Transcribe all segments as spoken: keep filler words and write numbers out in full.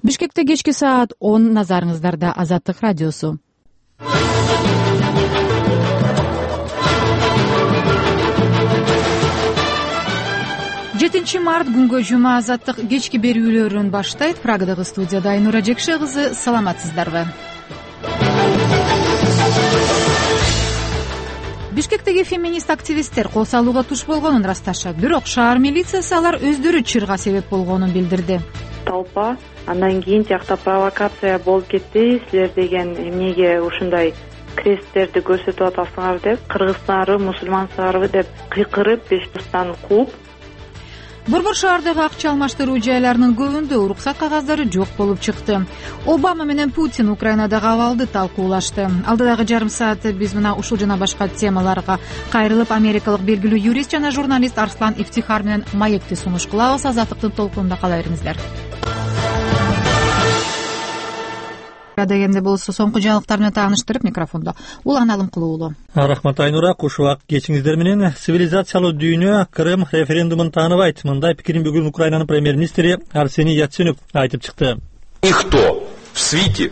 Бишкекте кечки саат он, назарыңыздарда Азаттык радиосу. жетинчи март күнгө жума Азаттык кечки берүүлөрүн баштайт. Прагадагы студияда Айнура Жекше кызы, саламатсыздарбы? Бишкектеги феминист активисттер кол салууга туш болгонун ырасташат, бирок шаар милициясы алар өздөрү чырга себеп болгонун билдирди. Толпа андан кийин тиякта провокация болуп кетти, силер деген эмнеге ушундай кресттерди көрсөтүп атасыңар деп, кыргызсыңарбы, мусулмансыңарбы деп кыйкырып, бешбустан кууп. Борбор шаардагы акча алмаштыруу жайларынын көбүндө уруксат кагаздары жок болуп чыкты. Обама менен Путин Украинадагы абалды талкуулашты. Алдыдагы жарым саатта биз мына ушул жана башка темаларга кайрылып, америкалык белгилүү юрист жана журналист Арслан Ифтихар менен маекти сунуш кылабыз. Азаттыктын толкунунда кала бериңиздер. Дегенде болсо соңку жаңылыктар менен тааныштырып, микрофондо Улан Алымкулуу уулу. Рахмат Айнура, куш убак кечиңиздер менен. Цивилизациялуу дүйнө Крым референдумун тааныбайт. Мындай пикирин бүгүн Украинанын премьер-министри Арсений Яценюк айтып чыкты. Никто в свете,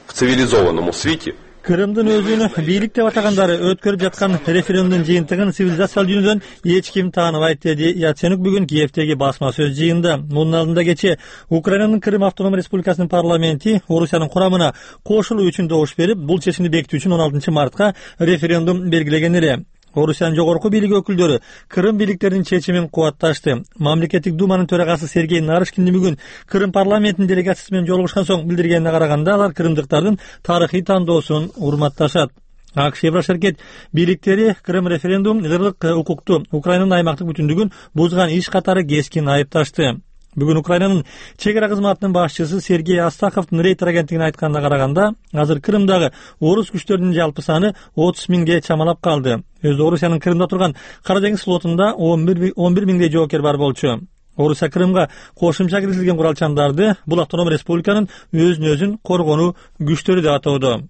в цивилизованном свете Крымдын өзүн бийлик деп атагандары өткөрүп жаткан референдумдун жыйынтыгын цивилизациялуу дүйнөдөн эч ким тааныбайт, деди Яценюк бүгүн Киевдеги басма сөз жыйынында. Мунун алдында кечээ Украинанын Крым автономдук республикасынын парламенти Орусиянын курамына кошулуу үчүн добуш берип, бул чечимди бекитүү үчүн он алтынчы мартка референдум белгилеген эле. Орусиянын жогорку бийлиги өкүлдөрү Крым бийликтеринин чечимин кубатташты. Мамлекеттик думанын төрагасы Сергей Нарышкин бүгүн Крым парламентинин делегациясы менен жолугушкан соң билдиргенине караганда, алар крымдыктардын тарыхый тандоосун урматташат. АКШ Еврошеркет бийликтери Крым референдум ырлык укукту Украинанын аймактык бүтүндүгүн бузган иш катары кескин айыпташты. Бүгүн Украинанын чек ара кызматынын башчысы Сергей Астаховдун Рейтер агенттигине айтканына караганда, азыр Крымдагы орус күчтөрүнүн жалпы саны отуз миңге чамалап калды. Өзү Орусиянын Крымда турган Кара деңиз флотунда он бир миңдей жоокер бар болчу. Орусия Крымга кошумча киргизилген куралчандарды бул автономдук республиканын өзүн өзүн коргонуу күчтөрү деп атоодо.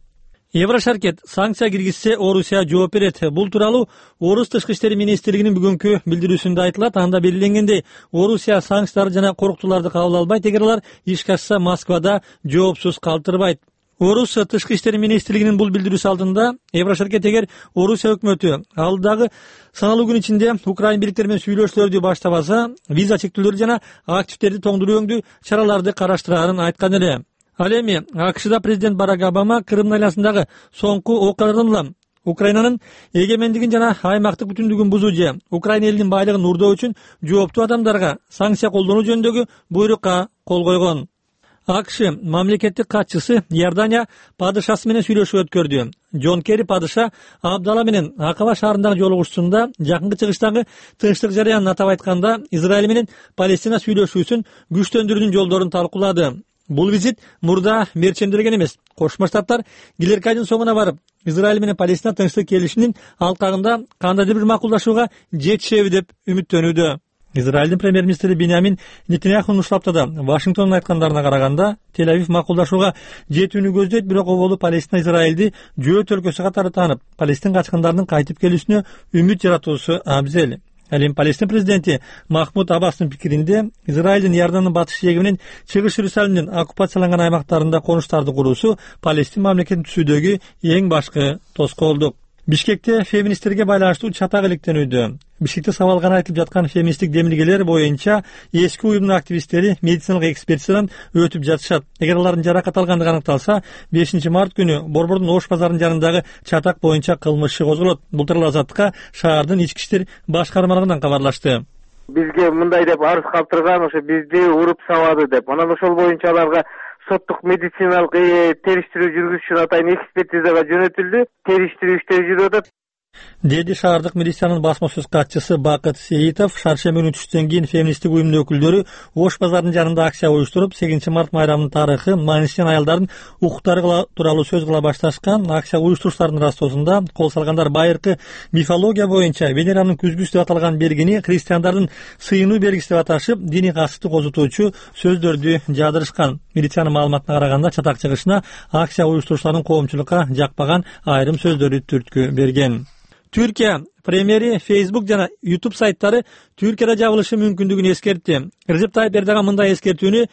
Еврошеркет санкция киргизсе Орусия жооп берет. Бул тууралуу Орус тышкы иштери министрлигинин бүгүнкү билдирүүсүндө айтылат. Анда белгиленгендей, Орусия санкцияларды жана корктууларды кабыл албайт, эгер алар ишке ашса Москвада жоопсуз калтырбайт. Орус тышкы иштери министрлигинин бул билдирүүсү алдында Еврошеркет эгер Орусия өкмөтү алдагы саналуу күн ичинде Украин бийликтери менен сүйлөшүүлөрдү баштабаса, виза чектөөлөрү жана активдерди тоңдуруу өңдүү чараларды караштырарын айткан эле. Ал эми АКШда президент Барак Обама Крым айланасындагы соңку окуялардан улам Украинанын эгемендигин жана аймактык бүтүндүгүн бузуу же Украина элинин байлыгын урдоо үчүн жооптуу адамдарга санкция колдонуу жөнүндөгү буйрукка кол койгон. АКШ мамлекеттик катчысы Иордания падышасы менен сүйлөшүү өткөрдү. Джон Керри падыша Абдала менен Акаба шаарындагы жолугушуусунда жакынкы чыгыштагы тынчтык жарыянын атап айтканда Израиль менен Палестина сүйлөшүүсүн күчтөндүрүүнүн жолдорун талкуулады. Бул визит мурда мерченделген эмес. Кошмо Штаттар келерки айдын соңуна барып, Израиль менен Палестина тынчтык келишиминин алкагында кандайдыр бир макулдашууга жетишеби деп үмүттөнүүдө. Израилдин премьер-министри Биньямин Нетаньяхунун ушул аптада Вашингтондун айткандарына караганда, Тель-Авив макулдашууга жетүүнү көздөйт, бирок оболу Палестина Израилди жөөт өлкөсү катары таанып, Палестин качкындарынын кайтып келүүсүнө үмүт жаратуусу абзел. Ал эми Палестин президенти Махмуд Аббастын пикиринде, Израилдин Иордандын батыш жээги менен чыгыш Иерусалимдин оккупацияланган аймактарында конуштарды куруусу Палестин мамлекетин түзүүдөгү эң башкы тоскоолдук. Бишкекте феминисттерге байланыштуу чатак иликтенүүдө. Бишкекте сабалган айтылып жаткан феминисттик демилгелер боюнча эски уюмдун активисттери медициналык экспертизадан өтүп жатышат. Эгер алардын жаракат алгандыгы аныкталса, бешинчи март күнү Борбордун Ош базарынын жанындагы чатак боюнча кылмыш иши козголот. Бул тууралуу Азаттыкка шаардын ички иштер башкармалыгынан кабарлашты. Бизге мындай деп арыз калтырган, ошо бизди уруп сабады деп. Анан ошол боюнча аларга соттук медициналык териштирүү жүргүзүш үчүн атайын экспертизага жөнөтүлдү. Териштирүү иштери жүрүп атат, деди шаардык милициянын басма сөз катчысы Бакыт Сейитов. Шаршемби күнү түштөн кийин феминисттик уюмдун өкүлдөрү Ош базарынын жанында акция уюштуруп, сегизинчи март майрамынын тарыхы, маанисиз аялдардын укуктары тууралуу сөз кыла башташкан. Акция уюштуруштардын ырастоосунда кол салгандар байыркы мифология боюнча Венеранын күзгүсү деп аталган бергини христиандардын сыйынуу белгиси деп аташып, диний касыпты козутуучу сөздөрдү жаадырышкан. Милициянын маалыматына караганда, чатак чыгышына акция уюштуруучулардын коомчулукка жакпаган айрым сөздөрү түрткү берген. Түркия премьери Facebook жана YouTube сайттары Түркияда жабылышы мүмкүндүгүн эскертти. Режеп Тайып Эрдоган мындай эскертүүнү